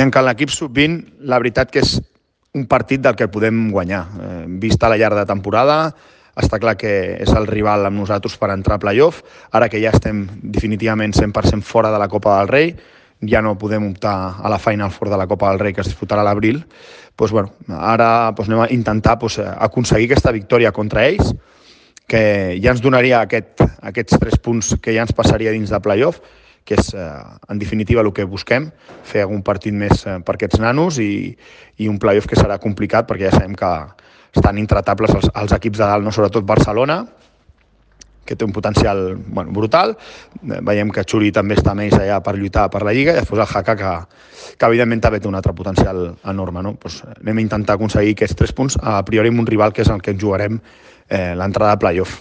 En l'equip sub-20, la veritat que és un partit del que podem guanyar. Vista la llarga temporada, està clar que és el rival amb nosaltres per entrar a playoff. Ara que ja estem definitivament 100% fora de la Copa del Rei, ja no podem optar a la Final Four de la Copa del Rei que es disputarà a l'abril, ara anem a intentar aconseguir aquesta victòria contra ells, que ja ens donaria aquests 3 punts que ja ens passaria dins de playoff, que és, en definitiva, el que busquem, fer algun partit més per aquests nanos i un playoff que serà complicat perquè ja sabem que estan intratables els equips de dalt, no? Sobretot Barcelona, que té un potencial brutal. Veiem que Xuri també està més allà per lluitar per la Lliga, i després el Jaca, que evidentment també té un altre potencial enorme. No? Anem a intentar aconseguir aquests 3 punts, a priori amb un rival que és el que ens jugarem l'entrada a playoff.